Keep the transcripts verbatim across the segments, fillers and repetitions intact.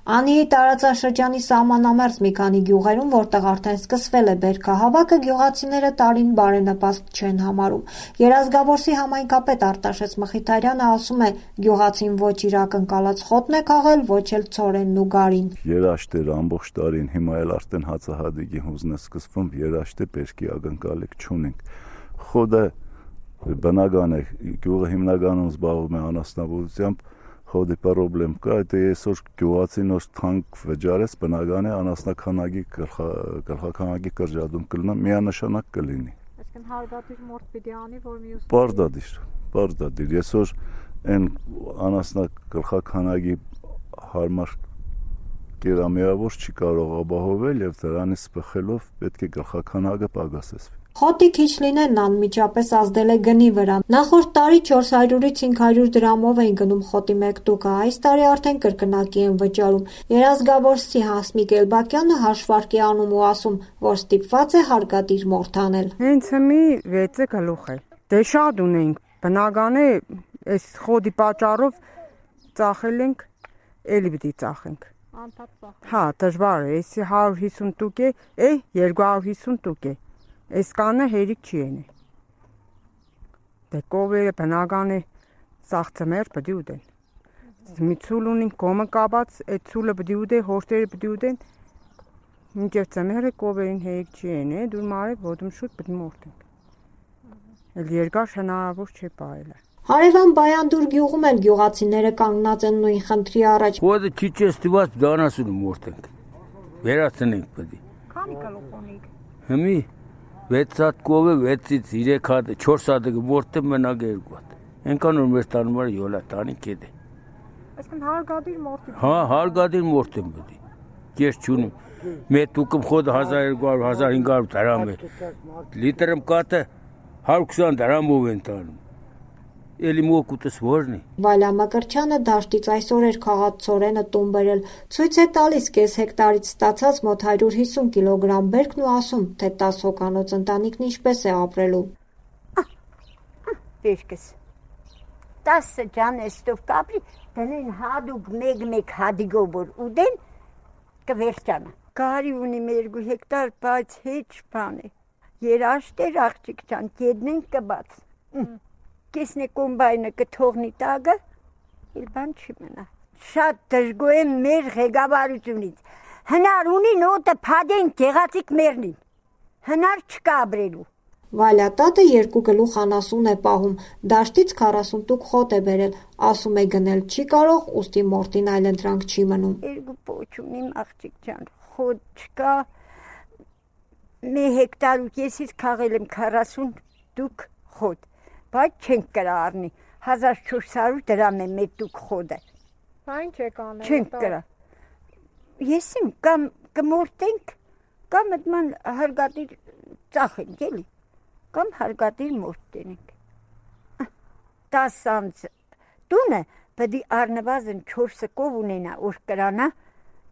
Անիի տարածաշրջանի սահմանամերձ մի քանի գյուղերում, որտեղ արդեն սկսվել է բերքահավաքը, գյուղացիները տարին բարենպաստ չեն համարում։ Երազգավորսի համայնքապետ Արտաշես Մխիթարյանը ասում է, գյուղացին ոչ իր ակնկալած խոտն է քաղել, ոչ էլ ցորենն ու գարին։ Երաշտ էր ամբողջ տարին, հիմա էլ արդեն հացահատիկի հուզն է սկսվում, երաշտ է, բերքի ակնկալիք չունենք։ Խոտը բնական է, գյուղը հիմնականում զբաղվում է անասնաբուծությամբ, խոտի պրոբլեմ կա, դա այսօր գյուղացին որ թանկ վճարես, բնական է անասնաքանակի գլխաքանակի կրճատում կլինի, միանշանակ կլինի։ Այսինքն հարգադիր մորթ պիտի անի, որ մյուս Պարտադիր, պարտադիր, այսօր այն անասնա գլխաքանակի հարմար կերամիավոր չի կարող ապահովել եւ դրանից բխելով պետք է գլխաքանակը պակասեցվի։ Խոտի քիչ լինելն անմիջապես ազդել է գնի վրա։ Նախորդ տարի չորս հարյուրից հինգ հարյուր դրամով էին գնում խոտի մեկ տուկը, այս տարի արդեն կրկնակի են վճարում։ Երազգավորսի Հասմիկ Էլբակյանը հաշվարկ է անում ու ասում, որ ստիպված է հարգադիր մորթ անել։ Հենց մի վեցը գլուխ է։ Դե շատ ունենք, բնական է, այս խոտի պատճառով ծախել ենք, էլի պիտի ծախենք։ Հա, դժվար է, էսի հարյուր հիսուն տուկ է, է երկու հարյուր հիսուն տուկ է։ Այս կանը հերիք չի ենի։ Դե կովերը բնական է սաղցմեր պդի ուդեն։ Մի ցուլ ունին կոմը կաբած, այդ ցուլը պդի ուդե, հորտերը պդի ուդեն։ Մինչև ծմերը կովերին հերիք չի ենի, դուր մարե ոտում շուտ պդի մորտենք։ Էլ երկար հնարավոր չէ պահելը։ Հարևան Բայանդուր գյուղում էլ գյուղացիները կանգնած են նույն խնդրի առաջ։ Խոտը չի չստիված դանասուն մորտենք։ Վերացնենք պդի։ Քանի գլուխ ունիք։ Հիմի վեց հատ կովը, վեցից երեք հատ, չորս հատը մորտը մնակ երկու հատ։ Ենքան որ մեր տանում էր յոլա տանի կետ է։ Այսինքն հարգադիր մորթի։ Հա, հարգադիր մորթ եմ պդի։ Կես չունիմ։ Մեկ տուկում խոտը հազար երկու հարյուր հազար հինգ հարյուր դրամ է։ Լիտրում կատը հարյուր քսան դրամով են տանում։ Էլի մոկուտս որն է։ Վալյա Մկրտչյանը դաշտից այսօր էր քաղած ցորենը տուն բերել։ Ցույց է տալիս կես հեկտարից ստացած մոտ հարյուր հիսուն կիլոգրամ բերքն ու ասում, թե տաս հոգանոց ընտանիքն ինչպես է ապրելու։ Բերքս տասը ջանեստով կապրի, դնեն հադուկ մեկ-մեկ հադիգով որ ուդեն կվերջանա։ Գարի ունիմ երկու հեկտար, բայց հեչ բան է։ Երաշտ էր աղջիկ ջան, կեդն են կբաց։ Կեսնե կոմբայնը կթողնի տագը, իլ բան չի մնա։ Շատ դժգոհ եմ մեր ղեկավարությունից։ Հնար ունին օտը փադեն գեղացիկ մերնին։ Հնար չկա ապրելու։ Վալյա տատը երկու գլուխ անասուն է պահում, դաշտից քառասուն տուկ խոտ է բերել, ասում է գնել չի կարող, ուստի մորտին այլընտրանք չի մնում։ Երկու պոչ ունիմ աղջիկ ջան, խոտ չկա։ Մի հեկտար ու կեսից քաղել եմ քառասուն տուկ խոտ։ Բայց չենք կրա առնի, հազար չորս հարյուր դրամ է մեկ տուկ խոտը։ Այն չեք անել։ Չենք կրա։ Եսիմ կամ կմորտենք, կամ այդման հարգադիր ծախենք էլի, կամ հարգադիր մորտենք։ Տաս ամց տունը պդի առնվազն չորսը կով ունենա, որ կրանա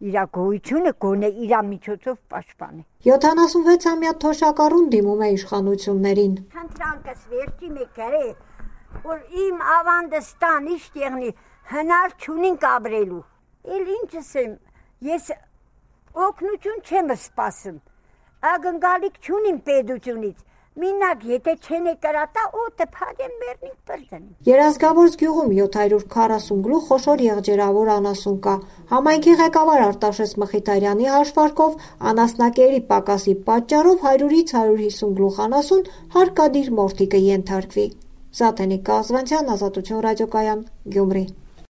իրա գոյությունը գոնե իրա միջոցով պաշտպանի։ յոթանասունվեցամյա թոշակառուն դիմում է իշխանություններին։ Խնդրանքս վերջի մեկ է, որ իմ ավանդս տան իշտ եղնի, հնար չունինք ապրելու։ Էլ ինչս եմ, ես օգնություն չեմ սպասում, ակնկալիք չունիմ պետությունից։ Մինակ եթե չեն կրատա, օտը փադեն մերնինք պրդնին։ Երազգավորս գյուղում յոթ հարյուր քառասուն գլուխ խոշոր եղջերավոր անասուն կա։ Համայնքի ղեկավար Արտաշես Մխիթարյանի հաշվարկով անասնակերի պակասի պատճառով հարյուրից հարյուր հիսուն գլուխ անասուն հարկադիր մորթի կենթարկվի։ Զաթենիկ Կազվանցյան, Ազատություն ռադիոկայան, Գյումրի։